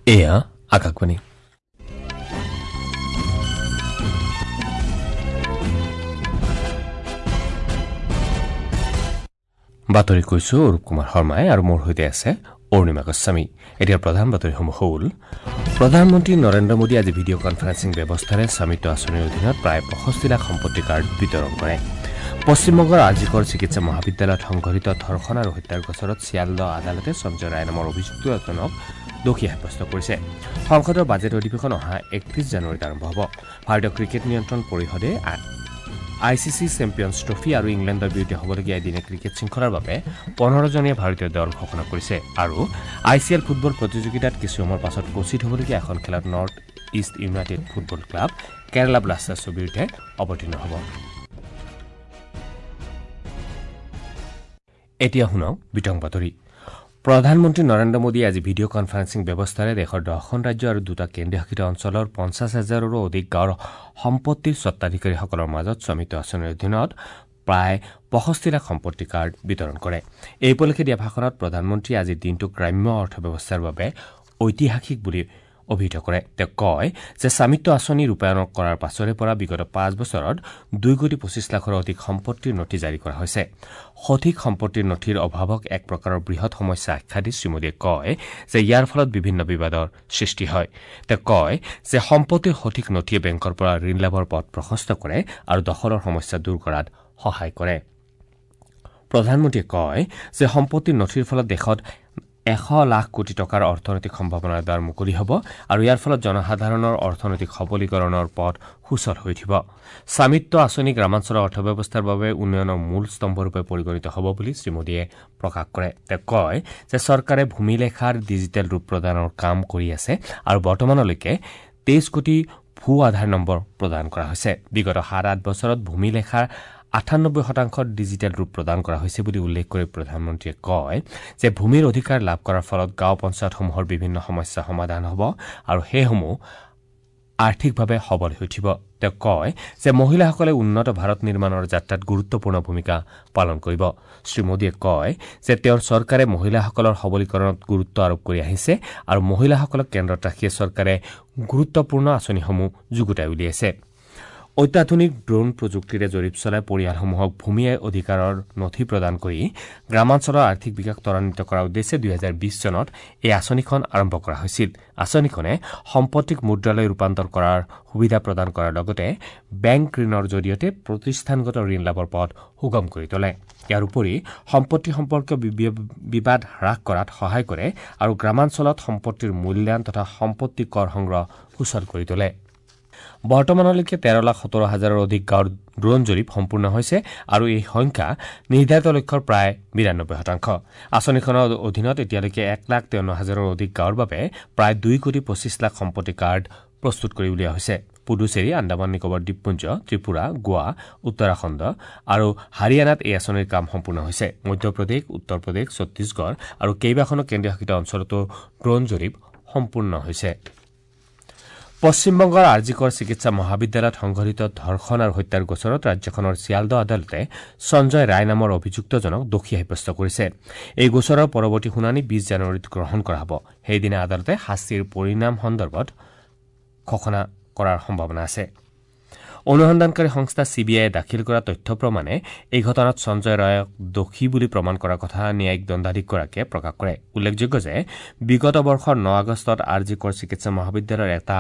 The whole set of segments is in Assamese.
এয়া আকাশবাণী। বাতৰি কৈছো অৰূপ কুমাৰ শৰ্মাই আৰু মোৰ সৈতে আছে অৰুণিমা গোস্বামী। এতিয়া প্ৰধান বাতৰিসমূহ হ'ল: প্ৰধানমন্ত্ৰী নৰেন্দ্ৰ মোদীয়ে আজি ভিডিঅ' কনফাৰেন্সিং ব্যৱস্থাৰে স্বামিত্ব আঁচনিৰ অধীনত প্ৰায় ৬৫ লাখ সম্পত্তি কাৰ্ড বিতৰণ কৰে। পশ্চিমবংগৰ আৰজিকৰ চিকিৎসা মহাবিদ্যালয়ত সংঘটিত ধৰ্ষণ আৰু হত্যাৰ গোচৰত শিয়ালদহ আদালতে সঞ্জয় ৰায় নামৰ অভিযুক্ত এজনক দোষী সাব্যস্ত কৰিছে। সংসদৰ বাজেট অধিৱেশন অহা ৩১ জানুৱাৰীত আৰম্ভ হ'ব। ভাৰতীয় ক্ৰিকেট নিয়ন্ত্ৰণ পৰিষদে I C C champions trophy আৰু ইংলেণ্ডৰ বিৰুদ্ধে হ'বলগীয়া এদিনীয়া ক্ৰিকেট শৃংখলাৰ বাবে ১৫জনীয়া ভাৰতীয় দল ঘোষণা কৰিছে। আৰু I C L football প্ৰতিযোগিতাত কিছু সময়ৰ পাছত কোচিত হ'বলগীয়া এখন খেলত North East United football club Kerala ব্লাষ্টাৰ্ছৰ বিৰুদ্ধে অৱতীৰ্ণ হ'ব। এতিয়া শুনক বিতং বাতৰি। প্ৰধানমন্ত্ৰী নৰেন্দ্ৰ মোদীয়ে আজি ভিডিঅ' কনফাৰেন্সিং ব্যৱস্থাৰে দেশৰ ১০খন ৰাজ্য আৰু দুটা কেন্দ্ৰীয় শাসিত অঞ্চলৰ ৫০ হাজাৰৰো অধিক গাঁৱৰ সম্পত্তিৰ স্বত্বাধিকাৰীসকলৰ মাজত স্বামিত্ব আঁচনিৰ অধীনত প্ৰায় ৬৫ লাখ সম্পত্তি কাৰ্ড বিতৰণ কৰে। এই উপলক্ষে দিয়া ভাষণত প্ৰধানমন্ত্ৰীয়ে আজিৰ দিনটোক গ্ৰাম্য অৰ্থব্যৱস্থাৰ বাবে ঐতিহাসিক বুলি অভিহিত কৰে। তেওঁ কয় যে স্বামিত্ব আঁচনি ৰূপায়ণ কৰাৰ পাছৰে পৰা বিগত ৫ বছৰত ২ কোটি ২৫ লাখৰো অধিক সম্পত্তিৰ নথি জাৰি কৰা হৈছে। সঠিক সম্পত্তিৰ নথিৰ অভাৱক এক প্ৰকাৰৰ বৃহৎ সমস্যা আখ্যা দি শ্ৰীমোদীয়ে কয় যে ইয়াৰ ফলত বিভিন্ন বিবাদৰ সৃষ্টি হয়। তেওঁ কয় যে সম্পত্তিৰ সঠিক নথিয়ে বেংকৰ পৰা ঋণ লাভৰ পথ প্ৰশস্ত কৰে আৰু দখলৰ সমস্যা দূৰ কৰাত সহায় কৰে। প্ৰধানমন্ত্ৰীয়ে কয় যে সম্পত্তিৰ নথিৰ ফলত দেশত ১০০ লাখ কোটি টকাৰ অৰ্থনৈতিক সম্ভাৱনাৰ দ্বাৰ মুকলি হ'ব আৰু ইয়াৰ ফলত জনসাধাৰণৰ অৰ্থনৈতিক সবলীকৰণৰ পথ সুচল হৈ উঠিব। স্বামিত্ব আঁচনি গ্ৰামাঞ্চলৰ অৰ্থব্যৱস্থাৰ বাবে উন্নয়নৰ মূল স্তম্ভৰূপে পৰিগণিত হ'ব বুলি শ্ৰীমোদীয়ে প্ৰকাশ কৰে। তেওঁ কয় যে চৰকাৰে ভূমিলেখাৰ ডিজিটেল ৰূপ প্ৰদানৰ কাম কৰি আছে আৰু বৰ্তমানলৈকে ২৩ কোটি ভূ আধাৰ নম্বৰ প্ৰদান কৰা হৈছে। বিগত ৭-৮ বছৰত ভূমিলেখাৰ ৯৮% ডিজিটেল ৰূপ প্ৰদান কৰা হৈছে বুলি উল্লেখ কৰি প্ৰধানমন্ত্ৰীয়ে কয় যে ভূমিৰ অধিকাৰ লাভ কৰাৰ ফলত গাঁও পঞ্চায়তসমূহৰ বিভিন্ন সমস্যা সমাধান হ'ব আৰু সেইসমূহ আৰ্থিকভাৱে সবল হৈ উঠিব। তেওঁ কয় যে মহিলাসকলে উন্নত ভাৰত নিৰ্মাণৰ যাত্ৰাত গুৰুত্বপূৰ্ণ ভূমিকা পালন কৰিব। শ্ৰীমোদীয়ে কয় যে তেওঁৰ চৰকাৰে মহিলাসকলৰ সবলীকৰণত গুৰুত্ব আৰোপ কৰি আহিছে আৰু মহিলাসকলক কেন্দ্ৰত ৰাখিয়ে চৰকাৰে গুৰুত্বপূৰ্ণ আঁচনিসমূহ যুগুতাই উলিয়াইছে। অত্যাধুনিক ড্ৰোন প্ৰযুক্তিৰে জৰীপ চলাই পৰিয়ালসমূহক ভূমি অধিকাৰৰ নথি প্ৰদান কৰি গ্ৰামাঞ্চলৰ আৰ্থিক বিকাশ ত্বৰান্বিত কৰাৰ উদ্দেশ্যে ২০২০ চনত এই আঁচনিখন আৰম্ভ কৰা হৈছিল। আঁচনিখনে সম্পত্তিক মুদ্ৰালৈ ৰূপান্তৰ কৰাৰ সুবিধা প্ৰদান কৰাৰ লগতে বেংক ঋণৰ জৰিয়তে প্ৰতিষ্ঠানগত ঋণ লাভৰ পথ সুগম কৰি তোলে। ইয়াৰ উপৰি সম্পত্তি সম্পৰ্কীয় বিবাদ হ্ৰাস কৰাত সহায় কৰে আৰু গ্ৰামাঞ্চলত সম্পত্তিৰ মূল্যায়ন তথা সম্পত্তি কৰ সংগ্ৰহ সুচল কৰি তোলে। বৰ্তমানলৈকে ১৩ লাখ ১৭ হাজাৰৰ অধিক গাঁৱৰ ড্ৰোন জৰীপ সম্পূৰ্ণ হৈছে আৰু এই সংখ্যা নিৰ্ধাৰিত লক্ষ্যৰ প্ৰায় ৯২%। আঁচনিখনৰ অধীনত এতিয়ালৈকে ১ লাখ ৫৩ হাজাৰৰ অধিক গাঁৱৰ বাবে প্ৰায় ২ কোটি ২৫ লাখ সম্পত্তি কাৰ্ড প্ৰস্তুত কৰি উলিওৱা হৈছে। পুডুচেৰী, আন্দামান নিকোবৰ দ্বীপপুঞ্জ, ত্ৰিপুৰা, গোৱা, উত্তৰাখণ্ড আৰু হাৰিয়ানাত এই আঁচনিৰ কাম সম্পূৰ্ণ হৈছে। মধ্যপ্ৰদেশ, উত্তৰ প্ৰদেশ, ছত্তীশগড় আৰু কেইবাখনো কেন্দ্ৰীয় শাসিত অঞ্চলতো ড্ৰোন জৰীপ সম্পূৰ্ণ হৈছে। পশ্চিমবংগৰ আৰজিকৰ চিকিৎসা মহাবিদ্যালয়ত সংঘটিত ধৰ্ষণ আৰু হত্যাৰ গোচৰত ৰাজ্যখনৰ শিয়ালদহ আদালতে সঞ্জয় ৰায় নামৰ অভিযুক্তজনক দোষী সাব্যস্ত কৰিছে। এই গোচৰৰ পৰৱৰ্তী শুনানি ২০ জানুৱাৰীত গ্ৰহণ কৰা হ'ব। সেইদিনা আদালতে শাস্তিৰ পৰিণাম সন্দৰ্ভত ঘোষণা কৰাৰ সম্ভাৱনা আছে। অনুসন্ধানকাৰী সংস্থা চি বি আইয়ে দাখিল কৰা তথ্য প্ৰমাণে এই ঘটনাত সঞ্জয় ৰায়ক দোষী বুলি প্ৰমাণ কৰাৰ কথা ন্যায়িক দণ্ডাধীশগৰাকীয়ে প্ৰকাশ কৰে। উল্লেখযোগ্য যে বিগত বৰ্ষৰ ৯ আগষ্টত আৰজিকৰ চিকিৎসা মহাবিদ্যালয়ৰ এটা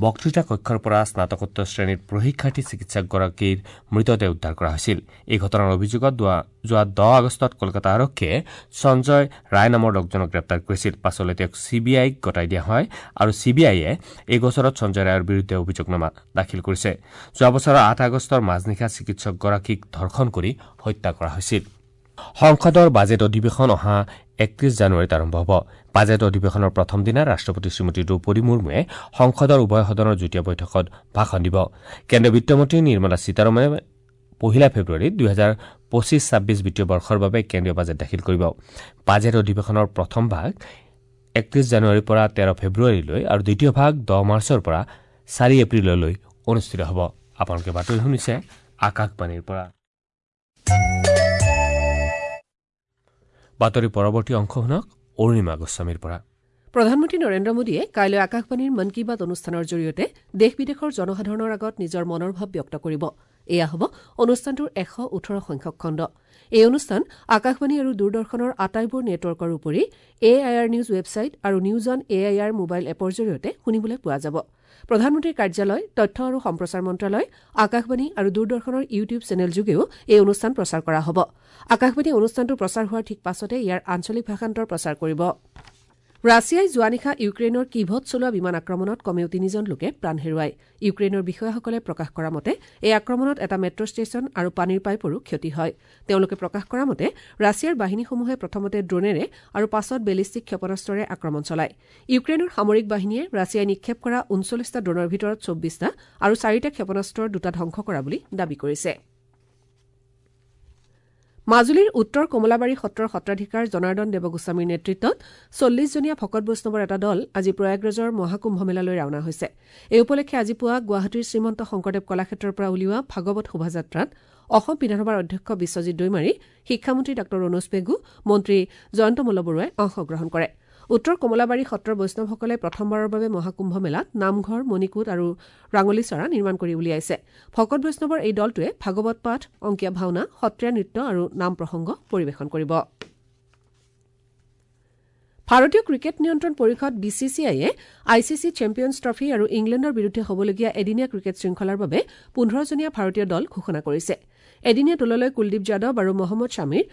বক্তৃতা কক্ষৰ পৰা স্নাতকোত্তৰ শ্ৰেণীৰ প্ৰশিক্ষাৰ্থী চিকিৎসকগৰাকীৰ মৃতদেহ উদ্ধাৰ কৰা হৈছিল। এই ঘটনাৰ অভিযোগত যোৱা ১০ আগষ্টত কলকাতা আৰক্ষীয়ে সঞ্জয় ৰায় নামৰ লোকজনক গ্ৰেপ্তাৰ কৰিছিল। পাছলৈ তেওঁক চি বি আইক গতাই দিয়া হয় আৰু চি বি আইয়ে এই গোচৰত সঞ্জয় ৰায়ৰ বিৰুদ্ধে অভিযোগনামা দাখিল কৰিছে। যোৱা বছৰৰ ৮ আগষ্টৰ মাজনিশা চিকিৎসকগৰাকীক ধৰ্ষণ কৰি হত্যা কৰা হৈছিল। সংসদৰ বাজেট অধিৱেশন অহা ৩১ জানুৱাৰীত আৰম্ভ হ'ব। বাজেট অধিৱেশনৰ প্ৰথম দিনা ৰাষ্ট্ৰপতি শ্ৰীমতী দ্ৰৌপদী মুৰ্মুৱে সংসদৰ উভয় সদনৰ যুটীয়া বৈঠকত ভাষণ দিব। কেন্দ্ৰীয় বিত্তমন্ত্ৰী নিৰ্মলা সীতাৰমণে ১ ফেব্ৰুৱাৰীত ২০২৫-২৬ বিত্তীয় বৰ্ষৰ বাবে কেন্দ্ৰীয় বাজেট দাখিল কৰিব। বাজেট অধিৱেশনৰ প্ৰথম ভাগ ৩১ জানুৱাৰীৰ পৰা ১৩ ফেব্ৰুৱাৰীলৈ আৰু দ্বিতীয় ভাগ ১০ মাৰ্চৰ পৰা ৪ এপ্ৰিললৈ অনুষ্ঠিত হ'ব। আপোনালোকে বাতৰি শুনিছে আকাশবাণীৰ পৰা। বাতৰি পৰৱৰ্তী অংশ শুনক অৰুণিমা গোস্বামীৰ পৰা। প্ৰধানমন্ত্ৰী নৰেন্দ্ৰ মোদীয়ে কাইলৈ আকাশবাণীৰ মন কী বাত অনুষ্ঠানৰ জৰিয়তে দেশ বিদেশৰ জনসাধাৰণৰ আগত নিজৰ মনৰ ভাৱ ব্যক্ত কৰিব। এয়া হ'ব অনুষ্ঠানটোৰ 118 সংখ্যক খণ্ড। এই অনুষ্ঠান আকাশবাণী আৰু দূৰদৰ্শনৰ আটাইবোৰ নেটৱৰ্কৰ উপৰি A I R news website আৰু news on A I R mobile এপৰ জৰিয়তে শুনিবলৈ পোৱা যাব। প্ৰধানমন্ত্ৰীৰ কাৰ্যালয়, তথ্য আৰু সম্প্ৰচাৰ মন্ত্ৰালয়, আকাশবাণী আৰু দূৰদৰ্শনৰ ইউটিউব চেনেলযোগেও এই অনুষ্ঠান প্ৰচাৰ কৰা হ'ব। আকাশবাণী অনুষ্ঠানটো প্ৰচাৰ হোৱাৰ ঠিক পাছতে ইয়াৰ আঞ্চলিক ভাষান্তৰ প্ৰচাৰ কৰিব। ৰাছিয়াই যোৱা নিশা ইউক্ৰেইনৰ কিভত চলোৱা বিমান আক্ৰমণত কমেও 3জন লোকে প্ৰাণ হেৰুৱায়। ইউক্ৰেইনৰ বিষয়াসকলে প্ৰকাশ কৰা মতে এই আক্ৰমণত এটা মেট্ৰ' ষ্টেচন আৰু পানীৰ পাইপৰো ক্ষতি হয়। তেওঁলোকে প্ৰকাশ কৰা মতে ৰাছিয়াৰ বাহিনীসমূহে প্ৰথমতে ড্ৰোনেৰে আৰু পাছত বেলিষ্টিক ক্ষেপণাস্ত্ৰৰে আক্ৰমণ চলায়। ইউক্ৰেইনৰ সামৰিক বাহিনীয়ে ৰাছিয়াই নিক্ষেপ কৰা 39টা ড্ৰোনৰ ভিতৰত 24টা আৰু 4টা ক্ষেপণাস্ত্ৰৰ 2টা ধ্বংস কৰা বুলি দাবী কৰিছে। মাজুলীৰ উত্তৰ কমলাবাৰী সত্ৰৰ সত্ৰাধিকাৰ জনাৰ্দন দেৱগোস্বামীৰ নেতৃত্বত 40জনীয়া ভকত বৈষ্ণৱৰ এটা দল আজি প্ৰয়াগৰাজৰ মহাকুম্ভ মেলালৈ ৰাওনা হৈছে। এই উপলক্ষে আজি পুৱা গুৱাহাটীৰ শ্ৰীমন্ত শংকৰদেৱ কলাক্ষেত্ৰৰ পৰা উলিওৱা ভাগৱত শোভাযাত্ৰাত অসম বিধানসভাৰ অধ্যক্ষ বিশ্বজিৎ দৈমাৰী, শিক্ষামন্ত্ৰী ডাঃ ৰণোজ পেগু, মন্ত্ৰী জয়ন্ত মল্ল বৰুৱাই অংশগ্ৰহণ কৰে। উত্তৰ কমলাবাৰী সত্ৰৰ বৈষ্ণৱসকলে প্ৰথমবাৰৰ বাবে মহাকুম্ভ মেলাত নামঘৰ, মণিকূট আৰু ৰাঙলী চৰা নিৰ্মাণ কৰি উলিয়াইছে। ভকত বৈষ্ণৱৰ এই দলটোৱে ভাগৱত পাঠ, অংকীয়া ভাওনা, সত্ৰীয়া নৃত্য আৰু নাম প্ৰসংগ পৰিৱেশন কৰিব। ভাৰতীয় ক্ৰিকেট নিয়ন্ত্ৰণ পৰিষদ বি চি চি আইয়ে I C C champions trophy আৰু ইংলেণ্ডৰ বিৰুদ্ধে হ'বলগীয়া এদিনীয়া ক্ৰিকেট শৃংখলাৰ বাবে 15জনীয়া ভাৰতীয় দল ঘোষণা কৰিছে। এদিনীয়া দললৈ কুলদীপ যাদৱ আৰু মহম্মদ শ্বামীৰ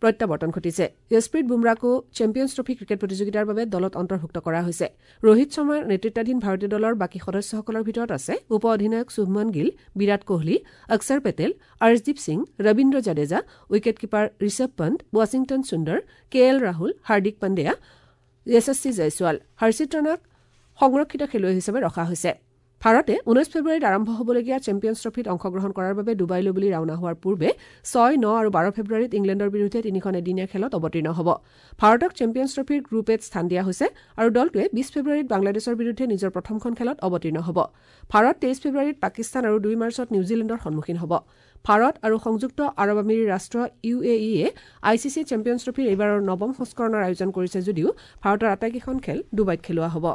প্ৰত্যাৱৰ্তন ঘটিছে। যশপ্ৰীত বুমৰাকো চেম্পিয়নছ ট্ৰফী ক্ৰিকেট প্ৰতিযোগিতাৰ বাবে দলত অন্তৰ্ভুক্ত কৰা হৈছে। ৰোহিত শৰ্মাৰ নেতৃত্বাধীন ভাৰতীয় দলৰ বাকী সদস্যসকলৰ ভিতৰত আছে উপ অধিনায়ক শুভমন গিল, বিৰাট কোহলি, অক্ষৰ পেটেল, অৰ্শদীপ সিং, ৰবীন্দ্ৰ জাডেজা, উইকেটকিপাৰ ঋষভ পণ্ট, ৱাশ্বিংটন সুন্দৰ, কে এল ৰাহুল, হাৰ্দিক পাণ্ডেয়া, যশস্বী জয়ছোৱাল। হৰ্ষিত ৰাণাক সংৰক্ষিত খেলুৱৈ হিচাপে ৰখা হৈছে। ভাৰতে 19 ফেব্ৰুৱাৰীত আৰম্ভ হ'বলগীয়া চেম্পিয়নছ ট্ৰফীত অংশগ্ৰহণ কৰাৰ বাবে ডুবাইলৈ বুলি ৰাওনা হোৱাৰ পূৰ্বে 6, 9 আৰু 12 ফেব্ৰুৱাৰীত ইংলেণ্ডৰ বিৰুদ্ধে 3খন এদিনীয়া খেলত অৱতীৰ্ণ হ'ব। ভাৰতক চেম্পিয়নছ ট্ৰফীৰ গ্ৰুপ এত স্থান দিয়া হৈছে আৰু দলটোৱে 20 ফেব্ৰুৱাৰীত বাংলাদেশৰ বিৰুদ্ধে নিজৰ প্ৰথমখন খেলত অৱতীৰ্ণ হ'ব। ভাৰত 23 ফেব্ৰুৱাৰীত পাকিস্তান আৰু 2 মাৰ্চত নিউজিলেণ্ডৰ সন্মুখীন হ'ব। ভাৰত আৰু সংযুক্ত আৰৱ আমিৰী ৰাষ্ট্ৰ ইউ এ ইয়ে I C C champions ট্ৰফীৰ এইবাৰৰ নৱম সংস্কৰণৰ আয়োজন কৰিছে যদিও ভাৰতৰ আটাইকেইখন খেল ডুবাইত খেলোৱা হ'ব।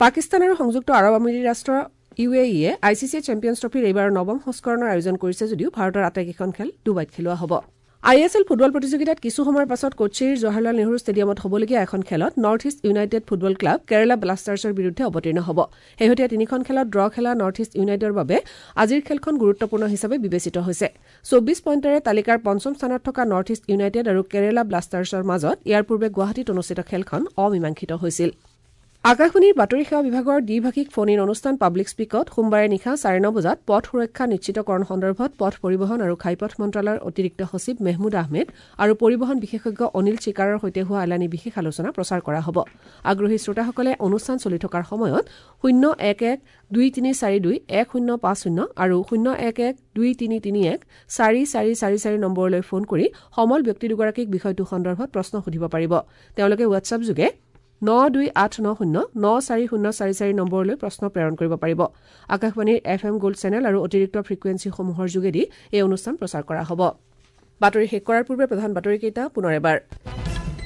পাকিস্তান আৰু সংযুক্ত আৰৱ আমিৰী ৰাষ্ট্ৰ ইউ এ ইয়ে I C C champions ট্ৰফীৰ এইবাৰৰ নৱম সংস্কৰণৰ আয়োজন কৰিছে যদিও ভাৰতৰ আটাইকেইখন খেল ডুবাইত খেলোৱা হ'ব। I S L football প্ৰতিযোগিতাত কিছু সময়ৰ পাছত কোচিৰ জৱাহৰলাল নেহৰু ষ্টেডিয়ামত হ'বলগীয়া এখন খেলত north east united football club Kerala ব্লাষ্টাৰ্ছৰ বিৰুদ্ধে অৱতীৰ্ণ হ'ব। শেহতীয়া 3খন খেলত ড্ৰ খেলা নৰ্থ ইষ্ট ইউনাইটেডৰ বাবে আজিৰ খেলখন গুৰুত্বপূৰ্ণ হিচাপে বিবেচিত হৈছে। 24 পইণ্টেৰে তালিকাৰ পঞ্চম স্থানত থকা নৰ্থ ইষ্ট ইউনাইটেড আৰু কেৰালা ব্লাষ্টাৰ্ছৰ মাজত ইয়াৰ পূৰ্বে গুৱাহাটীত অনুষ্ঠিত খেলখন অমীমাংসিত হৈছিল। আকাশবাণীৰ বাতৰি সেৱা বিভাগৰ দ্বিভাষিক ফোন ইন অনুষ্ঠান পাব্লিক স্পীকত সোমবাৰে নিশা 9:30 বজাত পথ সুৰক্ষা নিশ্চিতকৰণ সন্দৰ্ভত পথ পৰিবহণ আৰু ঘাইপথ মন্ত্ৰালয়ৰ অতিৰিক্ত সচিব মেহমুদ আহমেদ আৰু পৰিবহণ বিশেষজ্ঞ অনিল চিকাৰৰ সৈতে হোৱা এলানি বিশেষ আলোচনা প্ৰচাৰ কৰা হ'ব। আগ্ৰহী শ্ৰোতাসকলে অনুষ্ঠান চলি থকাৰ সময়ত 011 2342 1050 আৰু 011 2331 4444 নম্বৰলৈ ফোন কৰি সমল ব্যক্তি দুগৰাকীক বিষয়টো সন্দৰ্ভত প্ৰশ্ন সুধিব পাৰিব। তেওঁলোকে হোৱাটছএপ যোগে 92890 94044 নম্বৰলৈ প্ৰশ্ন প্ৰেৰণ কৰিব পাৰিব। আকাশবাণীৰ এফ এম গোল্ড চেনেল আৰু অতিৰিক্ত ফ্ৰিকুৱেঞ্চিসমূহৰ যোগেদি এই অনুষ্ঠান প্ৰচাৰ কৰা হ'ব। বাতৰি শেষ কৰাৰ পূৰ্বে প্ৰধান বাতৰিকেইটা পুনৰ এবাৰ।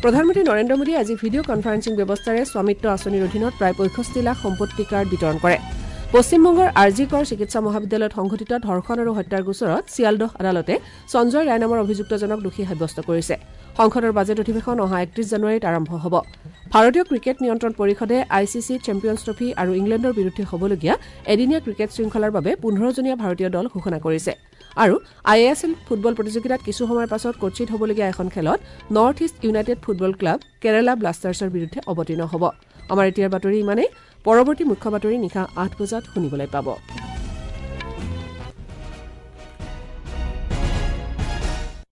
প্ৰধানমন্ত্ৰী নৰেন্দ্ৰ মোদীয়ে আজি ভিডিঅ' কনফাৰেন্সিং ব্যৱস্থাৰে স্বামিত্ব আঁচনিৰ অধীনত প্ৰায় 65 লাখ সম্পত্তি কাৰ্ড বিতৰণ কৰে। পশ্চিমবংগৰ আৰ জি কৰ চিকিৎসা মহাবিদ্যালয়ত সংঘটিত ধৰ্ষণ আৰু হত্যাৰ গোচৰত চিয়ালদহ আদালতে সঞ্জয় ৰায় নামৰ অভিযুক্তজনক দোষী সাব্যস্ত কৰিছে। সংসদৰ বাজেট অধিৱেশন অহা 31 জানুৱাৰীত আৰম্ভ হ'ব। ভাৰতীয় ক্ৰিকেট নিয়ন্ত্ৰণ পৰিষদে I C C champions trophy আৰু ইংলেণ্ডৰ বিৰুদ্ধে হ'বলগীয়া এদিনীয়া ক্ৰিকেট শৃংখলাৰ বাবে 15জনীয়া ভাৰতীয় দল ঘোষণা কৰিছে। আৰু I S L football প্ৰতিযোগিতাত কিছু সময়ৰ পাছত কোচিত হ'বলগীয়া এখন খেলত north east united football club Kerala ব্লাষ্টাৰ্ছৰ বিৰুদ্ধে অৱতীৰ্ণ হ'ব। আমাৰ এতিয়াৰ বাতৰি ইমানেই। পৰৱৰ্তী মুখ্য বাতৰি নিশা 8 বজাত শুনিবলৈ পাব।